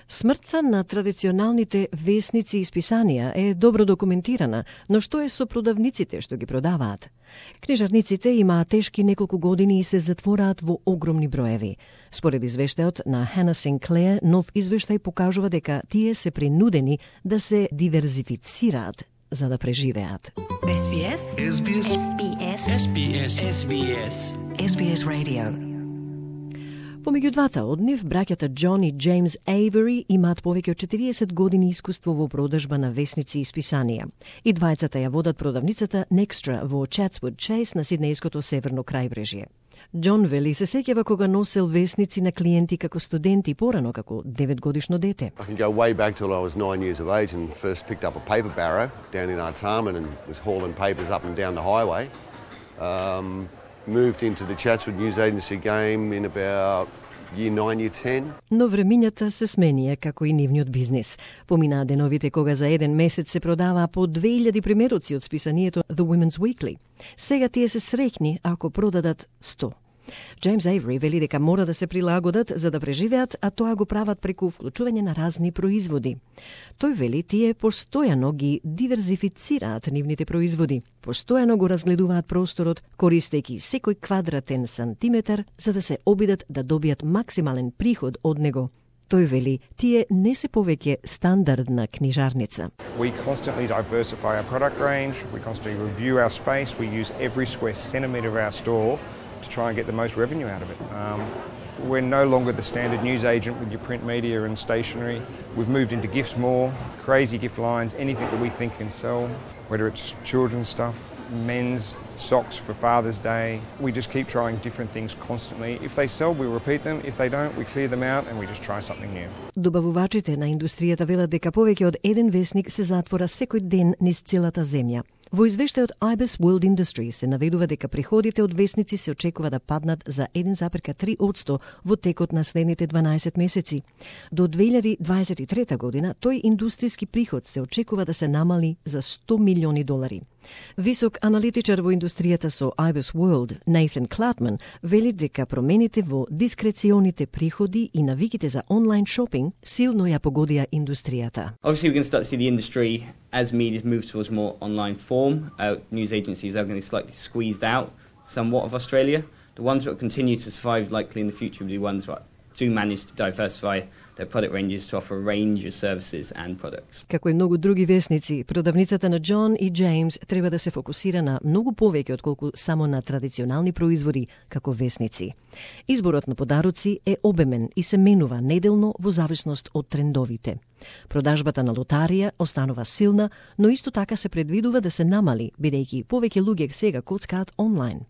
Смртта на традиционалните весници и списанија е добро документирана, но што е со продавниците што ги продаваат? Книжарниците имаат тешки неколку години и се затвораат во огромни броеви. Според извештајот на Hannah Sinclair, нов извештај покажува дека тие се принудени да се диверзифицираат за да преживеат. SBS SBS SBS SBS SBS SBS Radio. Помеѓу двата од нив, браќата Џон и Џејмс Ејвери имаат повеќе од 40 години искуство во продажба на весници и списанија. И двајцата ја водат продавницата Nextra во Chatswood Chase на Сиднејското северно крајбрежје. Џон вели се сеќава кога носел весници на клиенти како студент и порано како 9-годишно дете. I can go way back till I was 9 years of age and first picked up a paper barrow down in Artarmon and was hauling papers up and down the highway. Moved into the Chatswood News Agency game in about year 9, year 10. Но времињата се сменија како и нивниот бизнис. Поминаа деновите кога за еден месец се продаваа по 2000 примероци од списанието The Women's Weekly. Сега тие се среќни ако продадат 100. Џејмс Ејвери вели дека мора да се прилагодат за да преживеат, а тоа го прават преку вклучување на разни производи. Тој вели тие постојано ги диверзифицираат нивните производи, постојано го разгледуваат просторот, користејќи секој квадратен сантиметар за да се обидат да добијат максимален приход од него. Тој вели, тие не се повеќе стандардна книжарница. We constantly diversify our product range, we constantly review our space, we use every square centimetre of our store to try and get the most revenue out of it. We're no longer the standard news agent with your print media and stationery. We've moved into gifts more, crazy gift lines, anything that we think can sell, whether it's children's stuff, men's socks for Father's Day. We just keep trying different things constantly. If they sell, we repeat them. If they don't, we clear them out and we just try something new. Добавувачите на индустријата велат дека повеќе од еден весник се затвора секој ден низ целата земја. Во извештајот IBIS World Industries се наведува дека приходите од весници се очекува да паднат за 1,3% во текот на следните 12 месеци. До 2023 година тој индустријски приход се очекува да се намали за $100 милиони. Висок аналитичар во индустријата со IBIS World, Nathan Klatman, вели дека промените во дискреционите приходи и навиките за онлайн шопинг силно ја погодија индустријата. Obviously, we're going to start to see the industry as media moves towards more online form. News agencies are going to be slightly squeezed out somewhat of Australia. The ones that will continue to survive likely in the future will be ones that do manage to diversify their product ranges to offer a range of services and products. Како и многу други весници, продавницата на Џон и Џејмс треба да се фокусира на многу повеќе отколку само на традиционални производи како весници. Изборот на подароци е обемен и се менува неделно во зависност од трендовите. Продажбата на лотарија останува силна, но исто така се предвидува да се намали, бидејќи повеќе луѓе сега коцкаат онлайн.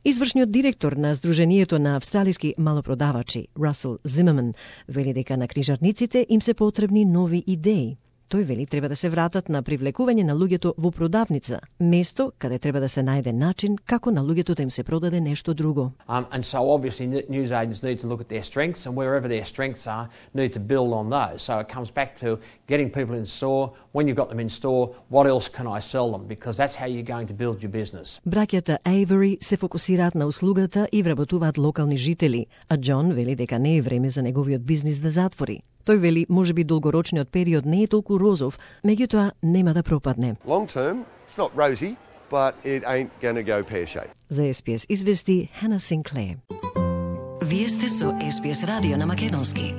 Извршниот директор на Сдруженијето на австралиски малопродавачи, Расел Зимерман, вели дека на книжарниците им се потребни нови идеи. Тој вели треба да се вратат на привлекување на луѓето во продавница, место каде треба да се најде начин како на луѓето да им се продаде нешто друго. And so obviously news agents need to look at their strengths and wherever their strengths are, need to build on those. So it comes back to getting people in store. When you've got them in store, what else can I sell them? Because that's how you're going to build your business. Браќата Ејвери се фокусираат на услугата и вработуваат локални жители, а Џон вели дека не е време за неговиот бизнис да затвори. Тој вели, можеби долгорочниот период не е толку розов, меѓутоа нема да пропадне. Long term, it's not rosy, but it ain't gonna go pear-shaped. За SBS извести Hannah Sinclair. Вие сте со SBS радио на македонски.